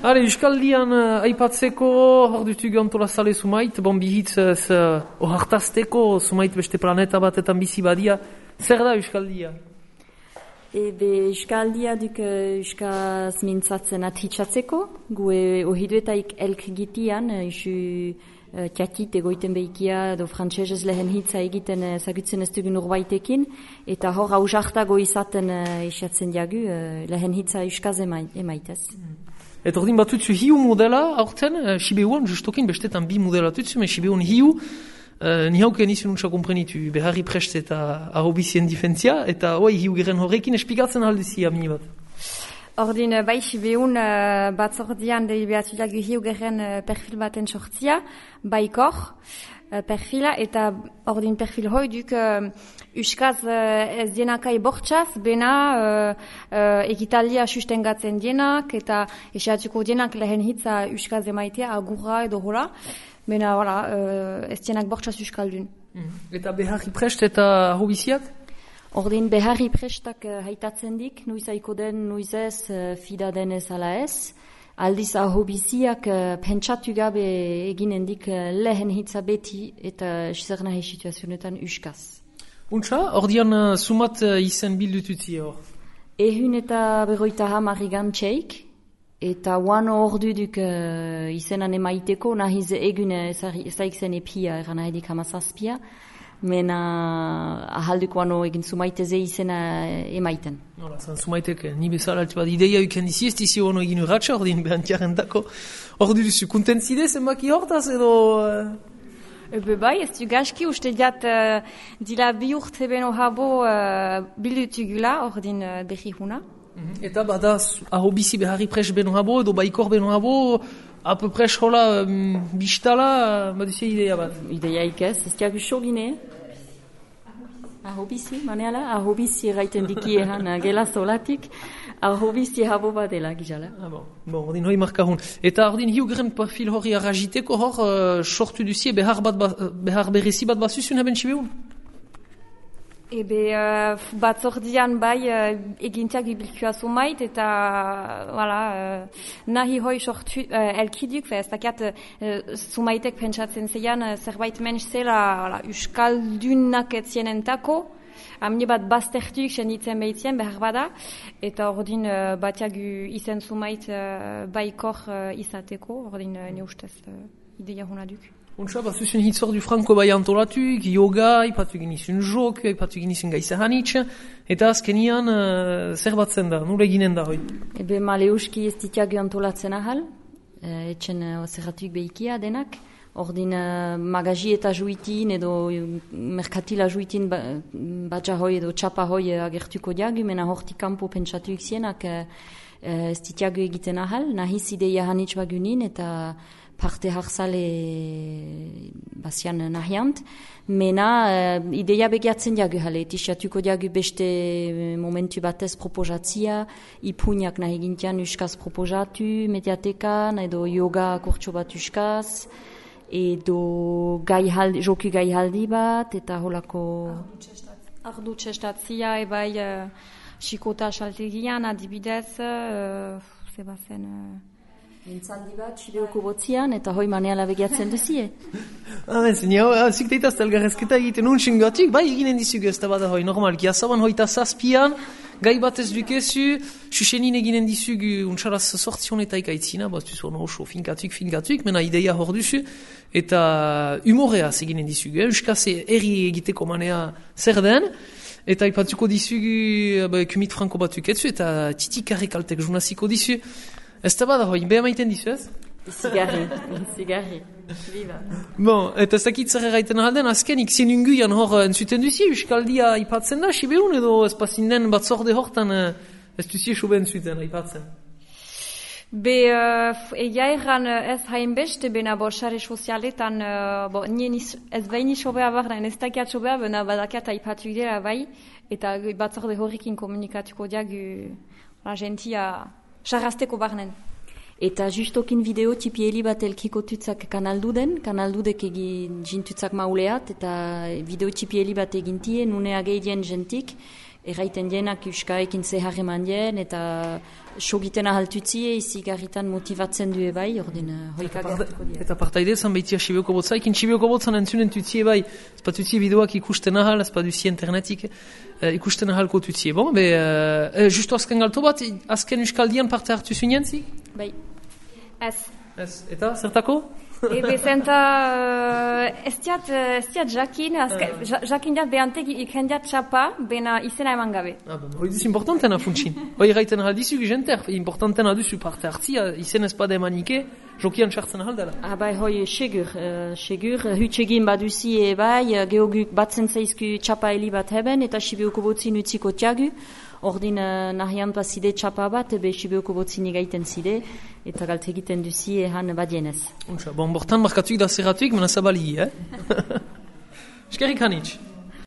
Hale, Euskaldian aipatzeko hor dutugu antolazale Sumait, bihitz ohartazteko Sumait beste planeta batetan bizi badia. Zer da Euskaldia? Euskaldia duk Euskaz mintzatzen atitzatzeko, gue ohiduetaik elk gitian, isu tiakit egoiten behikia, edo frantsesez lehen hitza egiten zagutzen ez dugun urbaitekin, eta hor hausartago izaten isatzen diagu, lehen hitza Euskaz emaitez. Eta ordin batutzu hiu modela aurten, Sibeuan, justokin bestetan bi modela tutzu, me Sibeuan hiu, ni hauken izun untsa komprenitu, beharri prest eta ahobizien difentzia, eta hiu geren horrekin esplikatzen alduzia mini bat. Ordin, bai, Sibeuan batzordian deliberatuak hiu geren perfil baten sortzia, baikor perfila, eta ordin perfil hoi duk Euskaz ez dienakai bortxaz, bena ekitalia sustengatzen dienak, eta esatuko dienak lehen hitza Euskaz emaitea, agurra edo hola, bena ez dienak bortxaz Euskaldun. Eta beharri prest eta ahobiziak? Ordin beharri prestak haitatzen dik, nuiz aiko den, nuiz ez, fida denez ala ez. Aldiz ahobiziak pentsatu gabe eginen dik lehen hitza beti eta zer nahi situazionetan Euskaz. Untsa, ordian sumat izen bildututzi hor? Ehun eta 50 gantxeik, eta uano ordu duk izenan emaiteko, nahiz egune ezaik zen epia, eran nahi dik 17, mena ahalduko ano egin sumaiteze izena emaiten. Nola, zan sumaitek, ni bezala altu bat ideia uken dizi, ez dizi ono egin urratxa, ordin behantiaren dako. Ordu duzu, kuntentzide zenbaki hortaz edo... Bai, ez du gaski uste diat dila bi urte beno habo bildutugula ordin behi huna. Eta bada ahobizi beharri pres beno habo edo baikor beno habo, apu pres hola bistala, baduzia ideia bat? Ideia ikez, ez diagu xogine. Ahobizi, maneala, ahobizi erraiten diki eran gela zolatik, ahobizi habo bat dela gizala. Bon, ordin hoi markahun. Eta ordin hiu geren perfil hori arrajiteko hor sortu duzie behar berezi bat bazuzun haben Sibeun? Batzordian bai egintiak ibilkua Sumait eta nahi hoi sortu elkiduk, ez dakiat Sumaitek pentsatzen zeian zerbait menš zela Euskaldunak etzienentako, amni bat baztertuk senditzen behitzien behar bada, eta ordin batiak izen Sumait baikor izateko, ordin ne ustez ideia hona duk. Untsa, bazuzun hitzor du franko bai antolatuk, yoga, ipatu genizun jok, ipatu genizun gaisa hanitz, eta azkenian zer batzen da, nure eginen da hoi? Maleuski ez ditiagu antolatzen ahal, etxen zerratuk behikia denak, ordin magazi eta juitin edo merkatila juitin batxa hoi edo txapa hoi agertuko diagu, mena hortik kanpo pentsatuik zienak ez ditiagu egiten ahal, nahiz ideia hanitz bagunin eta parte harzale bazian nahiant, mena ideia begiatzen diagu jale, etixatuko diagu beste momentu batez proposatzia, ipuñak nahi gintian Euskaz proposatu, mediatekan, edo yoga kurtso bat Euskaz, edo joku gaihaldi bat, eta holako... Ardu txestatzia, ebai xikota saltegian, adibidez, zebazen... Mintzaldi bat, Sibeuko botzian, eta hoi maneala begiatzen duzie. Zikteitaz elgarrezketa egiten untxen gatik, bai eginen dizugu ez da bada hoi, normalki, azaban hoita zazpian, gai bat ez dukezu, xuxenin eginen dizugu untxaraz sortzionetaik aitzina, baztuz hona oso finkatuk, mena ideia hor duzu, eta humoreaz eginen dizugu, Euskaz erri egiteko manea zer den, eta ipatuko dizugu kumit franko batuk etzu, eta titikarrik altek jurnaziko dizu. Ez da bada hoi, beha maiten dizu ez? Zigarri. Viva. Bon, eta ez dakit zer erraiten ahalden, azkenik zenunguian hor entzuten duzi, Euskaldia ipatzen da, Sibeun edo ez pazinden batzorde hortan ez duzi soben zuten ipatzen? Egia erran ez hainbeste, bena sare sozialetan, nien ez behin sobea barren, ez dakiat sobea, bena badakiat aipatu dira bai, eta batzorde horrekin komunikatuko diagu gentia sarrasteko barnen. Eta justokin video tipieli bat elkiko tutzak kanaldudek egin jintutzak mauleat, eta video tipieli bat egintie, nune ageidien jentik, erraiten dienak euskaekin zeharreman dien, eta sogiten ahaltutzie, izik garritan motivatzen due bai, ordin hoika gertuko dien. Eta partaide zan behitia Sibioko botza, ekin Sibioko botzan entzunen tutzie bai, ezpa tutzie bideoak ikusten ahal, ezpa duzie internetik ikusten ahalko tutzie. Bon, justo azken galto bat, azken euskaldian parte hartu zuen zik? Bai. Ez. Eta, zertako? Ebe zenta ez diat jakin, jakin diat behantek ikendiat txapa, bena izena eman gabe. Hoi duz importantena funtsin. Hoi gaiten ahal jenter, importantena duzu parte hartzia, izen ez bada emanike, jokian txartzen ahal dela. Bai, hoi, segur, hutsegin baduzi bai, geoguk batzen zaizku txapa heli bat heben, eta Sibioko botzin utziko tiagu, ordin nahian paside txapa bat, Sibioko botzin egaiten zide, eta galte egiten duzi ehan badienez. Bon, bortan markatuik da zerratuik, mena zabali, Eskerrik hanitz.